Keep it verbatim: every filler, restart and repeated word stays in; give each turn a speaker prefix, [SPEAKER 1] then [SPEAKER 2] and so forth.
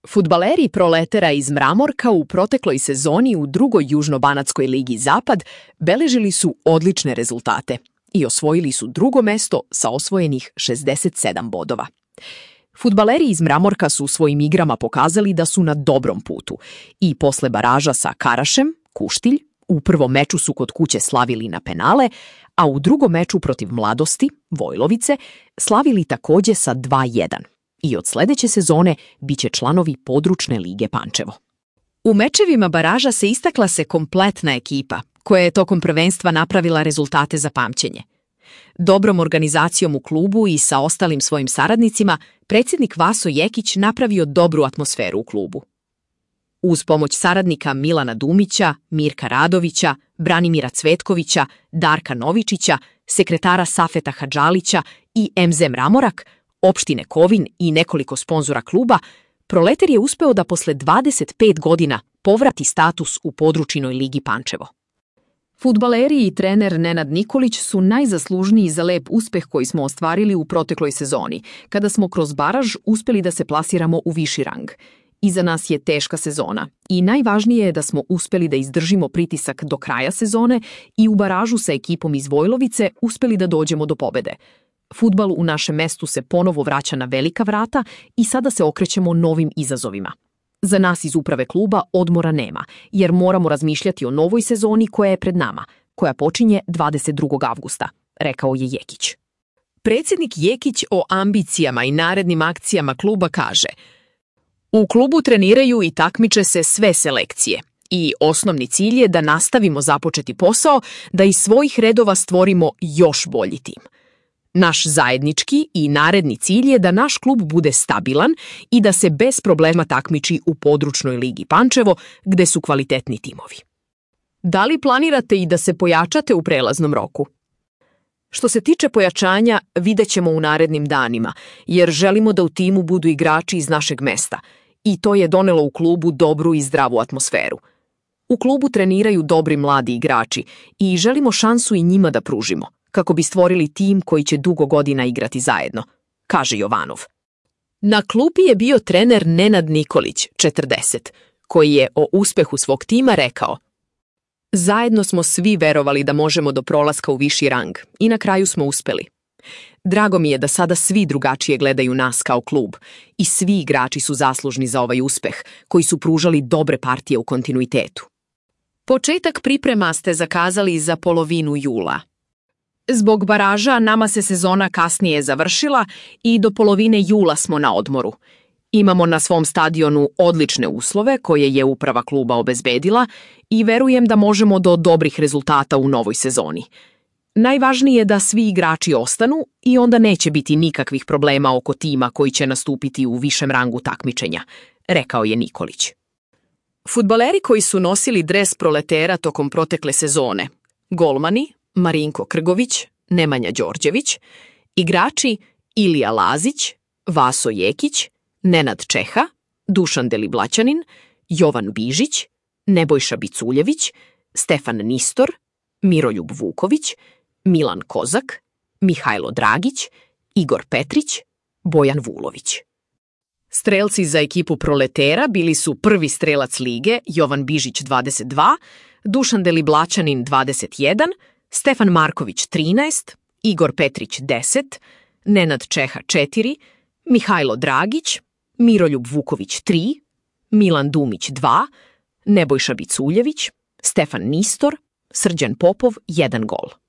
[SPEAKER 1] Fudbaleri Proletera iz Mramorka u protekloj sezoni u drugoj Južnobanatskoj ligi Zapad beležili su odlične rezultate i osvojili su drugo mesto sa osvojenih šezdeset sedam bodova. Fudbaleri iz Mramorka su svojim igrama pokazali da su na dobrom putu i posle baraža sa Karašem, Kuštilj, u prvom meču su kod kuće slavili na penale, a u drugom meču protiv Mladosti, Vojlovice, slavili takođe sa dva jedan. I od sledeće sezone biće članovi područne lige Pančevo. U mečevima baraža se istakla se kompletna ekipa, koja je tokom prvenstva napravila rezultate za pamćenje. Dobrom organizacijom u klubu i sa ostalim svojim saradnicima, predsjednik Vaso Jekić napravio dobru atmosferu u klubu. Uz pomoć saradnika Milana Dumića, Mirka Radovića, Branimira Cvetkovića, Darka Novičića, sekretara Safeta Hadžalića i em ze Mramorak, opštine Kovin i nekoliko sponzora kluba, Proleter je uspeo da posle dvadeset pet godina povrati status u područinoj ligi Pančevo. Fudbaleri i trener Nenad Nikolić su najzaslužniji za lep uspeh koji smo ostvarili u protekloj sezoni, kada smo kroz baraž uspeli da se plasiramo u viši rang. Iza nas je teška sezona i najvažnije je da smo uspeli da izdržimo pritisak do kraja sezone i u baražu sa ekipom iz Vojlovice uspeli da dođemo do pobede. Fudbal u našem mestu se ponovo vraća na velika vrata i sada se okrećemo novim izazovima. Za nas iz uprave kluba odmora nema, jer moramo razmišljati o novoj sezoni koja je pred nama, koja počinje dvadeset drugog avgusta, rekao je Jekić. Predsjednik Jekić o ambicijama i narednim akcijama kluba kaže: U klubu treniraju i takmiče se sve selekcije i osnovni cilj je da nastavimo započeti posao, da iz svojih redova stvorimo još bolji tim. Naš zajednički i naredni cilj je da naš klub bude stabilan i da se bez problema takmiči u područnoj ligi Pančevo, gde su kvalitetni timovi. Da li planirate i da se pojačate u prelaznom roku? Što se tiče pojačanja, vidjet ćemo u narednim danima, jer želimo da u timu budu igrači iz našeg mesta i to je donelo u klubu dobru i zdravu atmosferu. U klubu treniraju dobri mladi igrači i želimo šansu i njima da pružimo, kako bi stvorili tim koji će dugo godina igrati zajedno, kaže Jovanov. Na klupi je bio trener Nenad Nikolić, četrdeset, koji je o uspehu svog tima rekao: Zajedno smo svi verovali da možemo do prolaska u viši rang i na kraju smo uspeli. Drago mi je da sada svi drugačije gledaju nas kao klub i svi igrači su zaslužni za ovaj uspeh, koji su pružali dobre partije u kontinuitetu. Početak priprema ste zakazali za polovinu jula. Zbog baraža nama se sezona kasnije završila i do polovine jula smo na odmoru. Imamo na svom stadionu odlične uslove koje je uprava kluba obezbedila i verujem da možemo do dobrih rezultata u novoj sezoni. Najvažnije je da svi igrači ostanu i onda neće biti nikakvih problema oko tima koji će nastupiti u višem rangu takmičenja, rekao je Nikolić. Fudbaleri koji su nosili dres Proletera tokom protekle sezone: golmani Marinko Krgović, Nemanja Đorđević, igrači Ilija Lazić, Vaso Jekić, Nenad Čeha, Dušan Deliblaćanin, Jovan Bižić, Nebojša Biculjević, Stefan Nistor, Miroljub Vuković, Milan Kozak, Mihajlo Dragić, Igor Petrić, Bojan Vulović. Strelci za ekipu Proletera bili su prvi strelac lige Jovan Bižić dvadeset dva, Dušan Deliblaćanin dvadeset jedan, Stefan Marković trinaest, Igor Petrić deset, Nenad Čeha četiri, Mihajlo Dragić, Miroljub Vuković tri, Milan Dumić dva, Nebojša Biculjević, Stefan Nistor, Srđan Popov jedan gol.